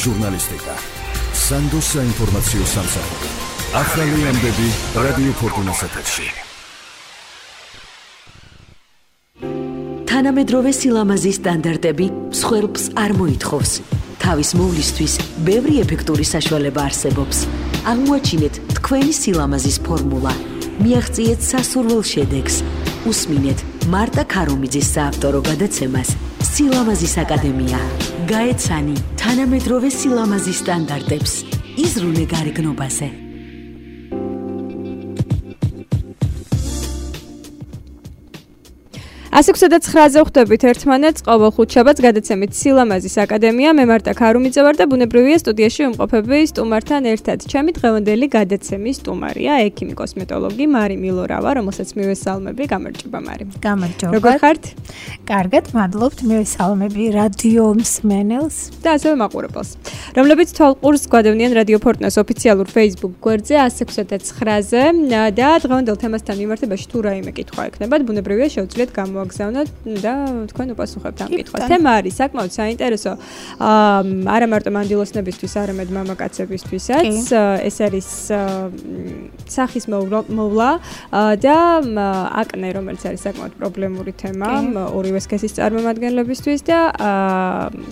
ჟურნალისტიკა, სანდოს საინფორმაციო სამსახური. ახალი ამბები რადიო ფორტუნას ეთერში. თანამედროვე სილამაზის სტანდარტები მსხვერპლს არ მოითხოვს. თავის მოვლისთვის ბევრი ეფექტური საშუალება არსებობს. აღმოაჩინეთ თქვენი სილამაზის ფორმულა. მიაღწიეთ სასურველ შედეგს. უსმინეთ მარტა ქარუმიძის საავტორო გადაცემას სილამაზის აკადემია. გაეცანი თანამედროვე სილამაზის სტანდარტებს. იზრუნე გარეგნობაზე. ასექვსა და 9-ზე ხვდებით ერთმანეთს ყოველ ხუთშაბათს გადაცემით სილამაზის აკადემია. მე მარტა ქარუმიძე ვარ და ბუნებრივია სტუდიაში ვიმყოფები სტუმართან ერთად. ჩემი დღევანდელი გადაცემის სტუმარია ექიმი კოსმეტოლოგი მარი მილორავა, რომელსაც მივესალმები. გამარჯობა მარი. გამარჯობა. როგორ ხართ? კარგად, მადლობთ. მივესალმები რადიო მსმენელს და ასევე მაყურებელს, რომლებიც თვალყურს გვადევნიან რადიო ფორტუნას ოფიციალურ Facebook გვერდზე 169-ზე და დღევანდელ თემასთან მიმართებაში თუ რაიმე კითხვა ექნებათ, ბუნებრივია შევძლიათ გამოგზავნოთ და თქვენ უპასუხებთ ამ კითხვას. თემა არის საკმაოდ საინტერესო, არა მარტო მანდილოსნებისთვის, არამედ მამაკაცებისთვისაც. ეს არის სახის მოვლა და აკნე, რომელიც არის საკმაოდ პრობლემური თემა ორივე სქესის წარმომადგენლებისთვის და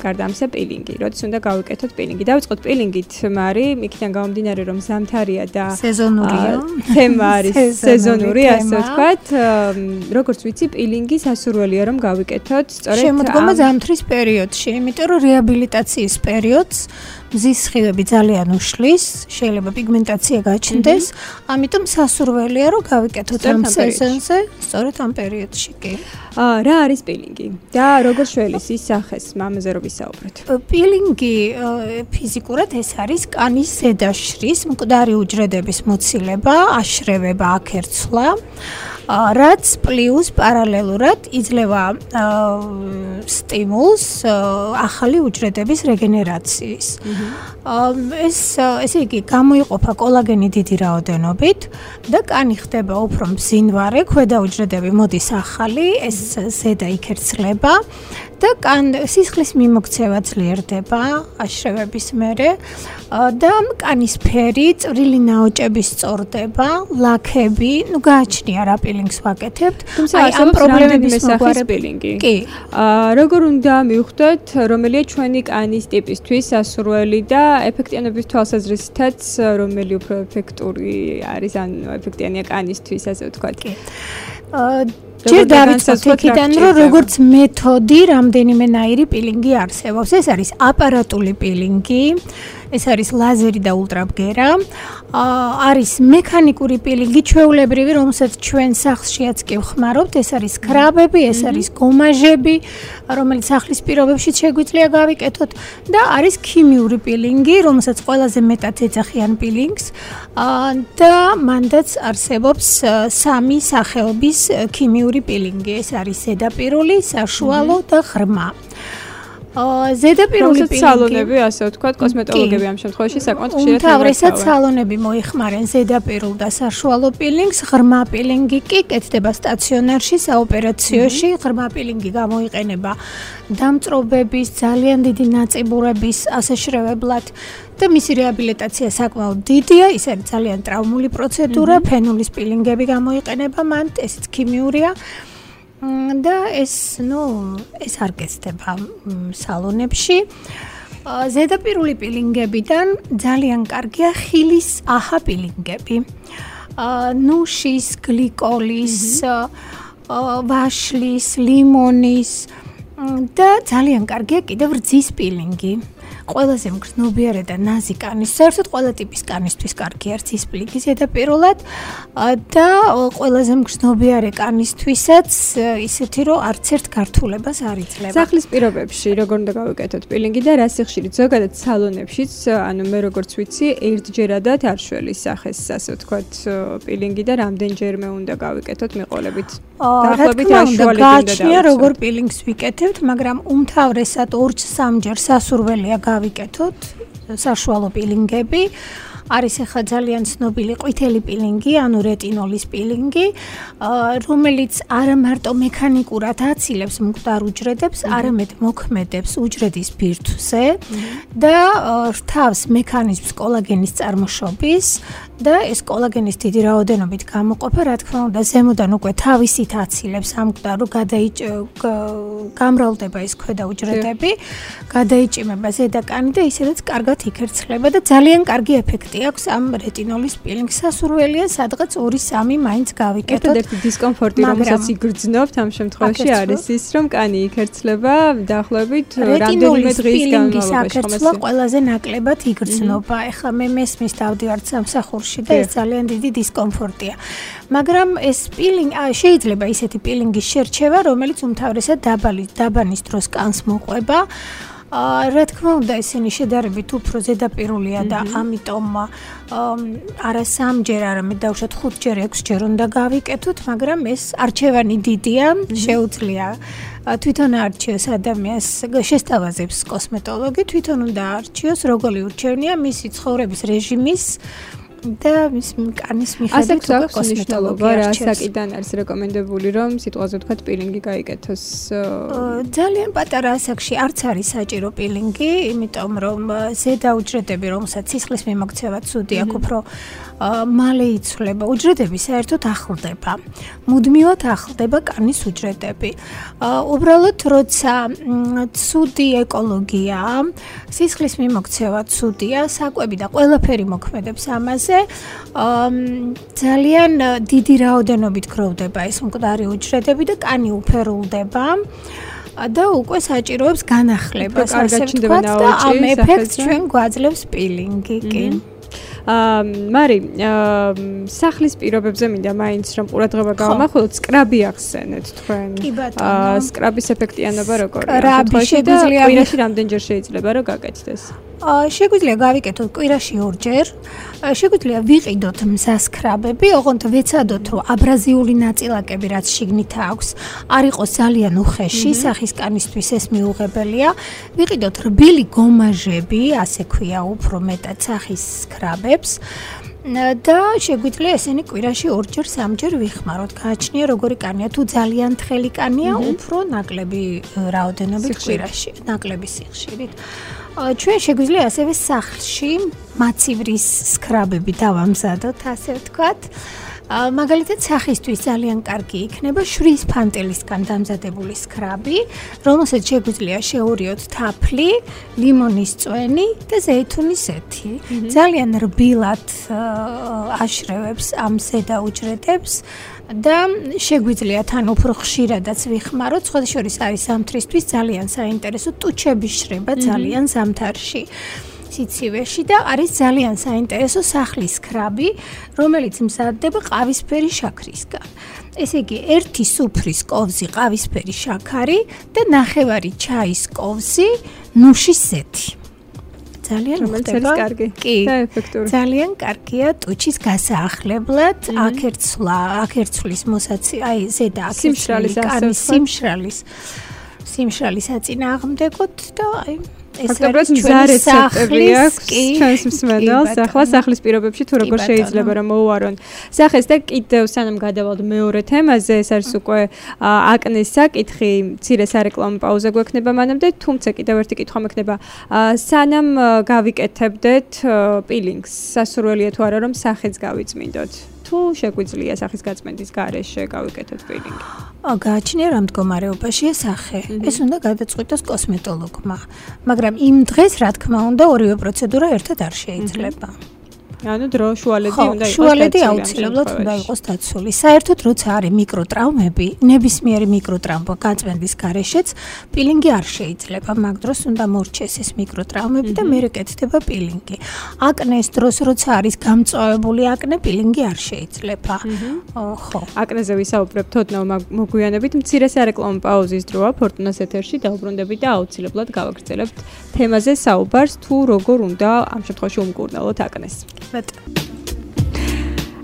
გარდა ამისა პილინგი. როდის უნდა გავიკეთოთ პილინგი? დავიწყოთ პილინგით, მარი, იქიდან გამომდინარე, რომ ზამთარია და სეზონურია. თემა არის სეზონური, ასე ვთქვათ. როგორც ვიცი, პილინგი სასურველია რომ გავიკეთოთ სწორედ შემოდგომა ზამთრის პერიოდში, იმიტომ რომ რეაბილიტაციის პერიოდს მზის სხივები ძალიან უშლის, შეიძლება პიგმენტაცია გაჩნდეს, ამიტომ სასურველია რომ გავიკეთოთ ამ სეზონზე, სწორედ ამ პერიოდში კი. რა არის პილინგი და როგორ შველის ის სახეს ამაზე რომ ვისაუბროთ? პილინგი ფიზიკურად ეს არის კანის ზედაშრის მკვდარი უჯრედების მოცილება, აშრევება, აკერცვლა, რაც პლუს პარალელურად იძლევა სტიმულს ახალი უჯრედების რეგენერაციის. ესე იგი, გამოიყოფა კოლაგენი დიდი რაოდენობით და კანი ხდება უფრო მბზინვარე, ქვედა უჯრედები მოდის ახალი, ეს ზედა იქერცლება და სისხლის მიმოქცევა ძლიერდება აშრევების მერე და კანის ფერი, წვრილი ნაოჭები სწორდება, ლაქები, გააჩნია რა პილინგს ვაკეთებთ. აი ამ პრობლემების სახის პილინგი. კი. როგორ უნდა მივხვდეთ, რომელია ჩვენი კანის ტიპისთვის სასურველი და ეფექტიანობის თვალსაზრისითაც რომელი უფრო ეფექტური არის, ან ეფექტიანია კანისთვის, ასე ვთქვათ. კი. ჯერ დავიწყოთ იქიდან, რომ როგორც მეთოდი რამდენიმენაირი პილინგი არსებობს. ეს არის აპარატული პილინგი, ეს არის ლაზერი და ულტრაბგერა, არის მექანიკური პილინგი, ჩვეულებრივი, რომელსაც ჩვენ სახლშიაც კი ვხმარობთ, ეს არის კრაბები, ეს არის გომაჟები, რომელიც სახლის პირობებში შეგვიძლია გავიკეთოთ და არის ქიმიური პილინგი, რომელსაც ყველაზე მეტად ეძახიან პილინგს და მანდაც არსებობს სამი სახეობის ქიმიური პილინგი, ეს არის ზედაპირული, საშუალო და ღრმა. ზედაპირული პილინგი სალონები, ასე ვთქვათ, კოსმეტოლოგები ამ შემთხვევაში საკმაოდ ხშირად უმთავრესად სალონები მოიხმარენ ზედაპირულ და საშუალო პილინგს, ღრმა პილინგი კი კეთდება სტაციონარში, საოპერაციოში, ღრმა პილინგი გამოიყენება დამწრობების, ძალიან დიდი ნაწიბურების ასაშრევებლად და მისი რეაბილიტაცია საკმაოდ დიდია, ის არის ძალიან ტრავმული პროცედურა, ფენულის პილინგები გამოიყენება მან, ესეც ქიმიურია. და ეს არ გეცდება სალონებში. ზედაპირული პილინგებიდან ძალიან კარგია ხილის აჰა პილინგები. ნუშის, გლიკოლის, ვაშლის, ლიმონის და ძალიან კარგია კიდევ რძის პილინგი. ყველაზე მგრძნობიარე და ნაზი კანის, საერთოდ ყველა ტიპის კანისთვის კარგი არის რძის პილინგი ზედაპირულად და ყველაზე მგრძნობიარე კანისთვისაც ისეთი რომ არც ერთ გართულებას არ იძლევა. სახლის პირობებში როგორ უნდა გავიკეთოთ პილინგი და რა სიხშირით? ზოგადად სალონებშიც, ანუ მე როგორც ვიცი, ერთჯერადად არ შველის სახეს, ასე ვთქვათ, პილინგი და რამდენჯერმე უნდა გავიკეთოთ მიყოლებით. დაახლოებით რა შუალები უნდა გააჩნია როგორ პილინგს ვიკეთებთ, მაგრამ უმთავრესად 2-3 ჯერ სასურველია გავიკეთოთ საშუალო პილინგები. არის ახლა ძალიან ცნობილი ყვითელი პილინგი, ანუ რეტინოლის პილინგი, რომელიც არა მარტო მექანიკურად აცილებს მკვდარ უჯრედებს, არამედ მოქმედებს უჯრედის ბირთვზე და რთავს მექანიზმს კოლაგენის წარმოშობის და ეს კოლაგენის დიდი რაოდენობით გამოყოფა, რა თქმა უნდა, ზემოდან უკვე თავისით აცილებს ამ მკვდარ, რომ გამრავლდება ეს ქვედა უჯრედები, გადაიჭიმება ზედაკანი და ისედაც კარგად იქერცხლება და ძალიან კარგი ეფექტი აქვს ამ რეტინოლის პილინგს. სასურველია სადღაც 2-3 მაინც გავიკეთოთ. ერთადერთი დისკომფორტი, რომელსაც იგრძნობთ ამ შემთხვევაში არის ის, რომ კანი იქერცხლება დაახლოებით რამდენიმე დღის განმავლობაში. რეტინოლის ყველაზე ნაკლებად იგრძნობა. ეხლა მე მესმის დავდივართ სამსახურში და ეს ძალიან დიდი დისკომფორტია. მაგრამ ეს პილინგი შეიძლება ისეთი პილინგის შერჩევა, რომელიც უმთავრესად დაბანის დროს კანს მოყვება. რა თქმა უნდა, ესენი შედარებით უფრო ზედაპირულია და ამიტომ არა 3-ჯერ, არამედ დავუშვათ 5-ჯერ, 6-ჯერ უნდა გავიკეთოთ, მაგრამ ეს არჩევანი დიდია, შეუძლია თვითონ არჩიოს ადამიანს, შესთავაზებს კოსმეტოლოგი, თვითონ უნდა არჩიოს, როგორი ურჩევნია მისი ცხოვრების რეჟიმის და მის კანის მიხედვით უკვე კოსმეტოლოგი არჩევს. საკიდან არის რეკომენდებული, რომ სიტყვაზე ვთქვათ პილინგი გაიკეთოს? ძალიან პატარა ასაკში არც არის საჭირო პილინგი, იმიტომ რომ ზედა უჯრედები, რომელსაც სისხლის მიმოქცევა ცუდი აქვს, უფრო მალე იცვლება. უჯრედები საერთოდ ახლდება. მუდმივად ახლდება კანის უჯრედები. უბრალოდ როცა ცუდი ეკოლოგიაა, სისხლის მიმოქცევა ცუდია, საკვები და ყველაფერი მოქმედებს ამაზე. ძალიან დიდი რაოდენობით გროვდება ეს მკვდარი უჯრედები და კანი უფერულდება და უკვე საჭიროებს განახლებას, ასე ვთქვათ, და ამ ეფექტს ჩვენ გვაძლევს პილინგი, კი. მარი, სახლის პირობებზე მინდა მაინც რომ ყურადღება გავამახვილოთ, სკრაბი ახსენეთ თქვენ. კი ბატონო. სკრაბის ეფექტიანობა როგორია? სკრაბი შეგვიძლია კვირაში რამდენჯერ შეიძლება რომ გაკეთდეს? შეგვიძლია გავიკეთოთ კვირაში 2-ჯერ. შეგვიძლია ვიყიდოთ მსასკრაბები, ოღონდ ვეცადოთ, რომ აბრაზიული ნაწილაკები, რაც შიგნით აქვს, არ იყოს ძალიან უხეში, სახის კანისთვის ეს მიუღებელია. ვიყიდოთ რბილი გომაჟები, ასე ქვია უფრო მეტად სახის სკრაბებს. და შეგვიძლია ესენი კვირაში 2-ჯერ, 3-ჯერ ვიხმაროთ. გააჩნია როგორი კანია, თუ ძალიან თხელი კანია, უფრო ნაკლები რაოდენობით კვირაში, ნაკლები სიხშირით. ჩვენ შეგვიძლია ასევე სახლში მაცივრის სკრაბები დავამზადოთ, ასე ვთქვათ. მაგალითად, სახისთვის ძალიან კარგი იქნება შრის ფანტელისგან დამზადებული სკრაბი, რომელსაც შეგვიძლია შეურიოთ თაფლი, ლიმონის წვენი და ზეითუნის ზეთი. ძალიან რბილად აშრევებს ამ ზედა უჯრედებს და შეგვიძლია თან უფრო ხშირადაც ვიხმაროთ, სხვადასხვა არის ზამთრისთვის ძალიან საინტერესო, ტუჩების შრება ძალიან ზამთარში. სიცივეში და არის ძალიან საინტერესო სახლის სკრაბი, რომელიც მზადდება ყავისფერი შაქრისგან. ესე იგი, 1 სუფრის კოვზი ყავისფერი შაქარი და 9 ჩაის კოვზი ნუშის ზეთი. ძალიან მოხდება. კი, ძალიან კარგია ტუჩის გასაახლებლად, აქერცვლის მოსაცი, აი ზედა აქერცვლის კანის სიმშრალის აწინააღმდეგოთ და აი ფაქტობრივად მზა რეცეპტები აქვს ჩვენს მსმენელს. ახლა სახლის პირობებში თუ როგორ შეიძლება რომ მოუარონ სახეს და კიდევ სანამ გადავალთ მეორე თემაზე, ეს არის უკვე აკნეს საკითხი, მცირე სარეკლამო პაუზა გვექნება მანამდე, თუმცა კიდევ ერთი კითხვა მექნება. სანამ გავიკეთებდეთ პილინგს, სასურველია თუ არა რომ სახეც გავიწმინდოთ? თუ შეგვიძლია სახის გაწმენდის გარეშე გავიკეთოთ პილინგი? გააჩნია რა მდგომარეობაშია სახე. ეს უნდა გადაწყვიტოს კოსმეტოლოგმა. მაგრამ იმ დღეს, რა თქმა უნდა, ორივე პროცედურა ერთად არ შეიძლება. ანუ დრო შუალედი უნდა იყოს. შუალედი აუცილებლად უნდა იყოს დაცული. საერთოდ როცა არის მიკროტრაუმები, ნებისმიერი მიკროტრაუმა გაწმენდის გარეშეც პილინგი არ შეიძლება. მაგ დროს უნდა მორჩეს ეს მიკროტრაუმები და მერე კეთდება პილინგი. აკნეს დროს როცა არის გამწვავებული აკნე, პილინგი არ შეიძლება. ხო. აკნეზე ვისაუბრებთ ოდნავ მოგვიანებით, მცირე სარეკლამო პაუზის დროა ფორტუნას ეთერში დავუბრუნდებით და აუცილებლად გავაგრძელებთ თემაზე საუბარს, თუ როგორ უნდა ამ შემთხვევაში უმკურნალოთ აკნეს.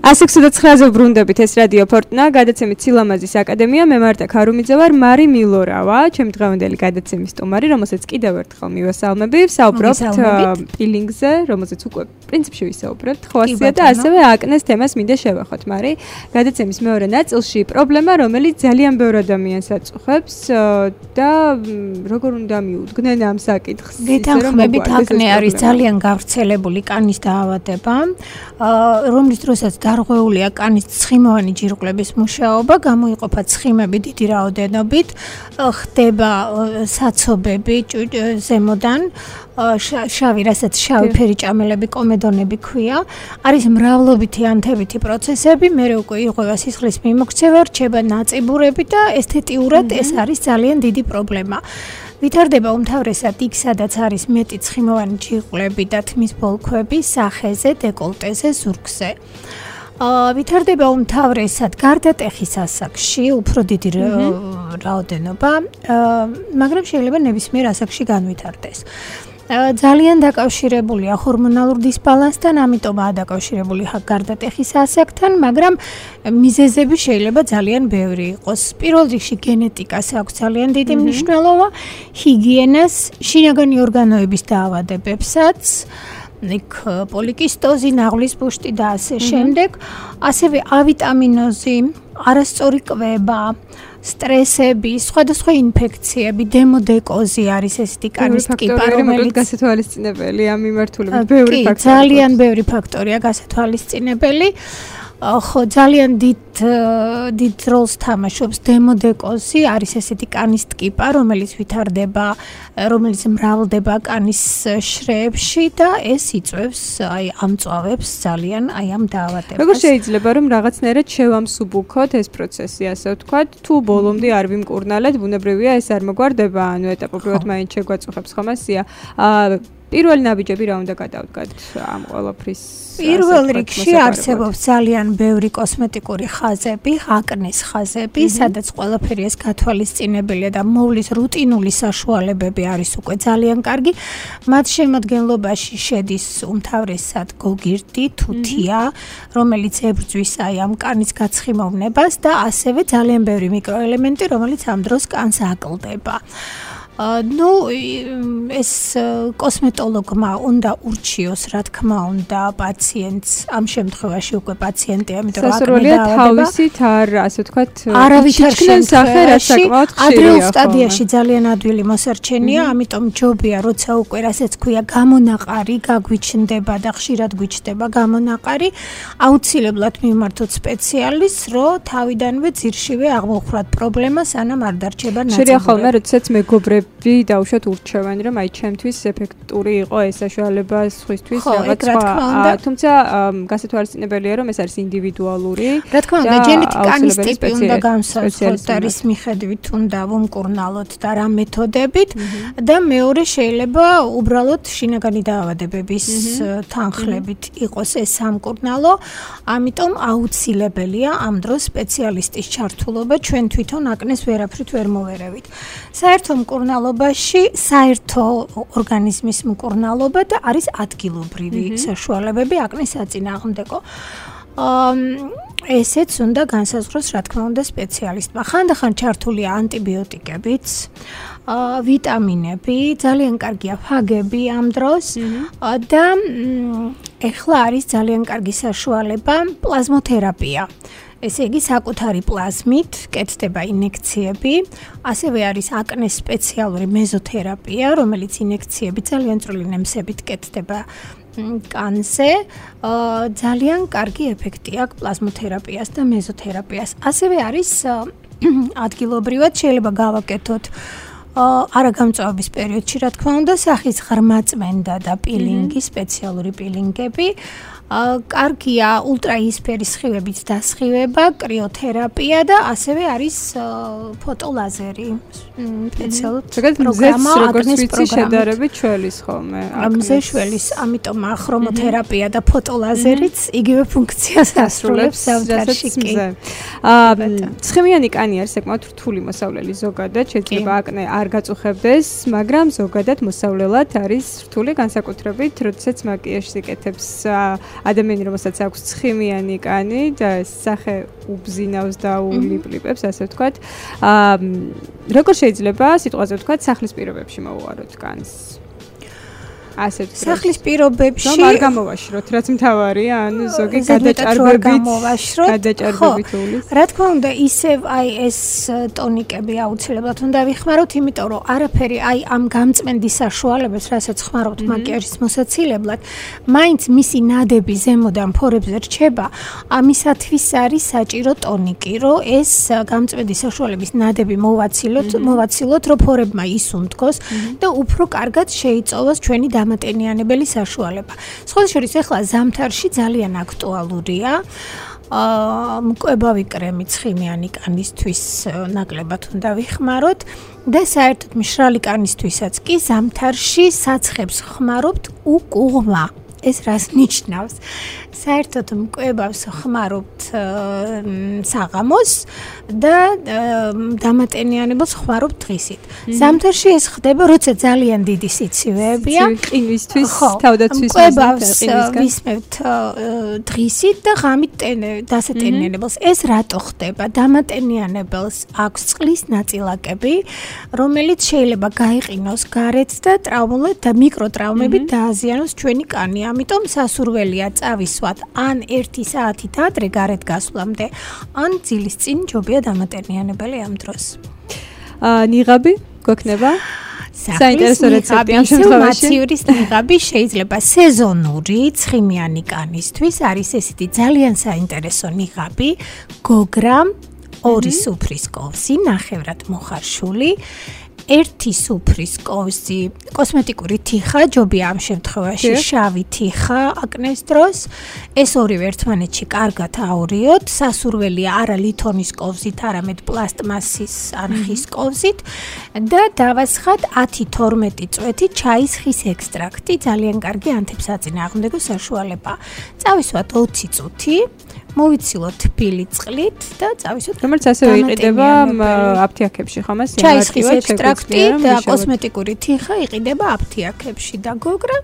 129-ზე ვბრუნდებით, ეს რადიო ფორტუნა, გადაცემით სილამაზის აკადემია, მე მარტა ქარუმიძე ვარ, მარი მილორავა, ჩემი დღევანდელი გადაცემის სტუმარი, რომელსაც კიდევ ერთხელ მივესალმები, საუბრობთ პილინგზე, რომელზეც უკვე პრინციპში ვისაუბრებთ, ხო ასეა და ასევე აკნეს თემას მინდა შევახოთ, მარი. გადაცემის მეორე ნაწილში პრობლემა, რომელიც ძალიან ბევრ ადამიანს აწუხებს და როგორ უნდა მიუდგნენ ამ საკითხს. გეთანხმებით, აკნე არის ძალიან გავრცელებული კანის დაავადება, რომლის დროსაც დარღვეულია კანის ცხიმოვანი ჯირკვლების მუშაობა, გამოიყოფა ცხიმები დიდი რაოდენობით, ხდება საცობები ზემოდან, შავი, რასაც შავი ფერი ჭამელები, კომედონები ქვია, არის მრავლობითი ანთებითი პროცესები, მერე უკვე იღება სისხლის მიმოქცევა, რჩება ნაწიბურები და ესთეტიურად ეს არის ძალიან დიდი პრობლემა. ვითარდება უმთავრესად იქ, სადაც არის მეტი ცხიმოვანი ჯირკვლები და თმის ბოლქვები სახეზე, დეკოლტეზე, ზურგზე. ვითარდება უმთავრესად გარდატეხის ასაკში, უფრო დიდი რაოდენობა, მაგრამ შეიძლება ნებისმიერ ასაკში განვითარდეს. ძალიან დაკავშირებულია ჰორმონალურ დისბალანსთან, ამიტომაა დაკავშირებული გარდატეხის ასაკთან, მაგრამ მიზეზები შეიძლება ძალიან ბევრი იყოს. პირველ რიგში გენეტიკას აქვს ძალიან დიდი მნიშვნელობა, ჰიგიენას, შინაგანი ორგანოების დაავადებებსაც, იქ პოლიკისტოზი, ნაღლის ბუშტი და ასე შემდეგ, ასევე ავიტამინოზი, არასწორი კვება, სტრესები, სხვადასხვა ინფექციები, დემოდეკოზი არის ესეთი კანის ტიპი, რომელიც გასათვალისწინებელი ამ მიმართულებით ბევრი ფაქტორია. ძალიან ბევრი ფაქტორია გასათვალისწინებელი. ხო, ძალიან დიდ როლს თამაშობს დემოდეკოზი, არის ესეთი კანის ტკიპა, რომელიც ვითარდება, რომელიც მრავლდება კანის შრეებში და ეს იწვევს, ამწვავებს ძალიან ამ დაავადებას. როგორ შეიძლება რომ რაღაცნაირად შევამსუბუქოთ ეს პროცესი, ასე ვთქვათ, თუ ბოლომდე არ ვიმკურნალეთ, ბუნებრივია ეს არ მოგვარდება, ანუ ეტაპობრივად მაინც შეგვაწუხებს ხომ ასეა. პირველი ნაბიჯები რა უნდა გადავდგათ ამ ყველაფრის? პირველ რიგში არსებობს ძალიან ბევრი კოსმეტიკური ხაზები, აკნეს ხაზები, სადაც ყველაფერი ეს გათვალისწინებელია და მოვლის რუტინული საშუალებები არის უკვე ძალიან კარგი. მათ შემადგენლობაში შედის უმთავრესად გოგირდი, თუთია, რომელიც ებრძვის ამ კანის გაცხიმოვნებას და ასევე ძალიან ბევრი მიკროელემენტი, რომელიც ამ დროს კანს აკლდება. ეს კოსმეტოლოგმა უნდა ურჩიოს, რა თქმა უნდა, პაციენტს, ამ შემთხვევაში უკვე პაციენტი, ამიტომ სასურველია თავისით არ, ასე ვთქვათ, არავითარ შემთხვევაში ადრეულ სტადიაში ძალიან ადვილი მოსარჩენია, ამიტომ ჯობია, როცა უკვე რასაც ქვია გამონაყარი, გაგვიჩნდება და ხშირად გვიჩნდება გამონაყარი, აუცილებლად მივმართოთ სპეციალისტს, რომ თავიდანვე ძირშივე აღმოხვრათ პრობლემა, სანამ არ დარჩება ნაწილობრივი. შეიძლება ხოლმე, როდესაც მეგობრები დაუშვათ ურჩევენ, რომ აი ჩემთვის ეფექტური იყო ეს საშუალება სხვისთვის რაღაც სხვა. თუმცა გასათვალისწინებელია, რომ ეს არის ინდივიდუალური. რა თქმა უნდა, ჯენეტიკანის ტიპი უნდა განსაზღვროთ და რის მიხედვით უნდა ვუმკურნალოთ და რა მეთოდებით და მეორე შეიძლება უბრალოდ შინაგანი დაავადებების თანხლებით იყოს ეს სამკურნალო, ამიტომ აუცილებელია ამ დროს სპეციალისტის ჩართულობა, ჩვენ თვითონ აკნეს ვერაფრით ვერ მოვერევით. საერთო მკურნალობაში საერთო ორგანიზმის მკურნალობა და არის ადგილობრივი საშუალებები აკნეს საწინააღმდეგო. ესეც უნდა განსაზღვროს, რა თქმა უნდა, სპეციალისტმა. ხანდახან ჩართულია ანტიბიოტიკებიც, ვიტამინები, ძალიან კარგია ფაგები ამ დროს და ეხლა არის ძალიან კარგი საშუალება პლაზმოთერაპია. ესე იგი, საკუთარი პლაზმით კეთდება ინექციები, ასევე არის აკნეს სპეციალური მეზოთერაპია, რომელიც ინექციები ძალიან წვრილი ნემსებით კეთდება კანზე. ძალიან კარგი ეფექტი აქვს პლაზმოთერაპიას და მეზოთერაპიას. ასევე არის ადგილობრივად შეიძლება გავაკეთოთ არაგამწვავების პერიოდში, რა თქმა უნდა, სახის ღრმაწმენდა და პილინგი, სპეციალური პილინგები. კარგია ულტრაიისფერი სხივებით დასხივება, კრიოთერაპია და ასევე არის ფოტოლაზერი. სპეციალური პროგრამა აკნეს შედარებით შველის ხოლმე. მზე შველის, ამიტომ ხრომოთერაპია და ფოტოლაზერიც იგივე ფუნქციას ასრულებს საერთაშორისო კი. ცხიმიანი კანი არის საკმაოდ რთული მოსავლელი ზოგადად, შეიძლება აკნე არ არ გაწუხებდეს, მაგრამ ზოგადად მოსავლელად არის რთული განსაკუთრებით, როდესაც მაკიაჟს იკეთებს ადამიანი, რომელსაც აქვს ცხიმიანი კანი და სახე უბზინავს და ულიპლიპებს, ასე ვთქვათ. როგორ შეიძლება სიტყვაზე ვთქვათ, სახლის პირობებში მოუვაროთ კანს? ასე ვთქვათ. სახლის პირობებში რომ არ გამოვაშროთ, რაც მთავარია, ანუ ზოგი გადაჭარბებით უვლის. რა თქმა უნდა, ისევ აი ეს ტონიკები აუცილებლად უნდა ვიხმაროთ, იმიტომ რომ არაფერი აი ამ გამწმენდის საშუალებას, რასაც ხმარობთ მაკიაჟის მოსაცილებლად, მაინც მისი ნადები ზემოდან ფორებზე რჩება, ამისათვის არის საჭირო ტონიკი, რომ ეს გამწმენდის საშუალების ნადები მოვაცილოთ, რომ ფორებმა ისუნთქოს და უფრო კარგად შეიწოვოს ჩვენი დამატენიანებელი საშუალება. სხვა შორის ახლა ზამთარში ძალიან აქტუალურია მკვებავი კრემი ცხიმიანი კანისთვის ნაკლებად უნდა ვიხმაროთ და საერთოდ მშრალი კანისთვისაც კი ზამთარში საცხებს ხმარობთ უკუღმა. ეს რას ნიშნავს? საერთოდ მკვებავს ხმარობთ საღამოს და დამატენიანებელს ხმარობთ დღისით. ზამთარში ეს ხდება, როცა ძალიან დიდი სიცივეებია. ყინვისთვის, თავდაცვის მკვებავს ვისმევთ დღისით და ღამით დასატენიანებელს. ეს რატო ხდება? დამატენიანებელს აქვს წყლის ნაწილაკები, რომელიც შეიძლება გაიყინოს გარეთ და ტრაუმულად და მიკროტრაუმებით დააზიანოს ჩვენი კანი. ამიტომ სასურველია წავისვათ ან 1 საათით ადრე გარეთ გასვლამდე, ან ძილის წინ ჯობია დამატენიანებელი ამ დროს. ნიღაბი გვექნება? საინტერესო რეცეპტი ამ შემთხვევაში. მაცივრის ნიღაბი შეიძლება სეზონური ცხიმიანი კანისთვის, არის ესეთი ძალიან საინტერესო ნიღაბი, გოგრა, 2 სუფრის კოვზი, ნახევრად მოხარშული. 1 სუფრის კოვზი, კოსმეტიკური თიხა, ჯობია ამ შემთხვევაში შავი თიხა აკნეს დროს. ეს ორივე ერთმანეთში კარგად აორიოთ. სასურველია არა ლითონის კოვზით, არამედ პლასტმასის ან ხის კოვზით და დავასხათ 10-12 წვეთი ჩაის ხის ექსტრაქტი, ძალიან კარგი ანტისაწინააღმდეგო საშუალება. წავისვათ 20 წუთი. მოვიცილოთ თბილი წყლით და წავისვათ. რომელიც ასევე იყიდება აფთიაქებში, ხო მას? ჩაის ხის ექსტრაქტი და კოსმეტიკური თიხა იყიდება აფთიაქებში და გოგრა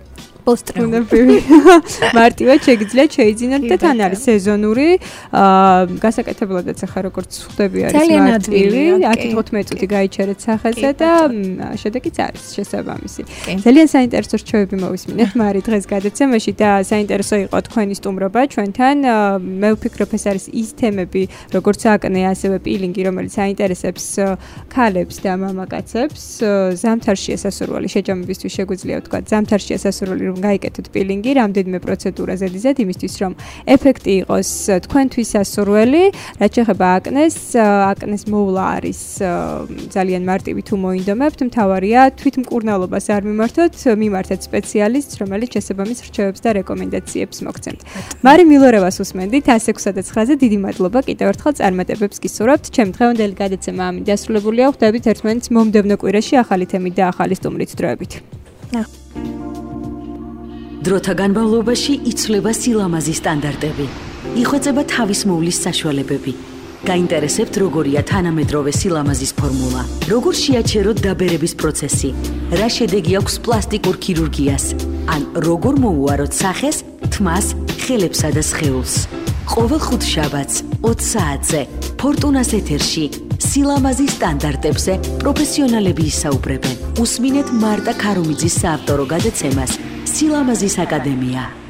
პოსტრუნებრივი. მარტივად შეგიძლიათ შეიძინოთ და თან არის სეზონური, გასაკეთებლადაც ახლა როგორც ხვდები არის მარტივი, 10-15 წუთი გაიჩერეთ სახეზე და შედეგიც არის შესაბამისი. ძალიან საინტერესო რჩევები მოვისმინეთ მარი დღეს გადაცემაში და საინტერესო იყო თქვენი სტუმრობა ჩვენთან. მე ვფიქრობ ეს არის ის თემები, როგორც აკნე, ასევე პილინგი, რომელიც აინტერესებს ქალებს და მამაკაცებს. ზამთარში ესასურველი შეჯამებისთვის შეგვიძლია ვთქვა, ზამთარში ესასურველი გაიკეთოთ პილინგი, რამდენიმე პროცედურა ზედიზედ იმისთვის, რომ ეფექტი იყოს თქვენთვის სასურველი. რაც შეეხება აკნეს მოვლა არის ძალიან მარტივი თუ მოინდომებთ, მთავარია თვითმკურნალობას არ მიმართოთ, მიმართეთ სპეციალისტს, რომელიც შესაბამის რჩევებს და რეკომენდაციებს მოგცემთ. მარი მილორევას უსმენდით 106-ზე, დიდი მადლობა კიდევ ერთხელ წარმატებებს გისურვებთ. ჩემი დღევანდელი გადაცემა ამით დასრულებულია. ხვდებით ერთმანეთს მომდევნო კვირაში ახალი თემით და ახალი სტუმრით დროებით. დროთა განმავლობაში იცვლება სილამაზის სტანდარტები. იხვეწება თავისმოვლის საშუალებები. გაინტერესებთ როგორია თანამედროვე სილამაზის ფორმულა? როგორ შეაჩეროთ დაბერების პროცესი? რა შედეგი აქვს პლასტიკურ ქირურგიას? ან როგორ მოუაროთ სახეს, თმას, ხელებსა და სხეულს? ყოველ ხუთშაბათს 20 საათზე ფორტუნას ეთერში სილამაზის სტანდარტებზე პროფესიონალები ისაუბრებენ. უსმინეთ მარტა ქარუმიძის საავტორო გადაცემას სილამაზის აკადემია.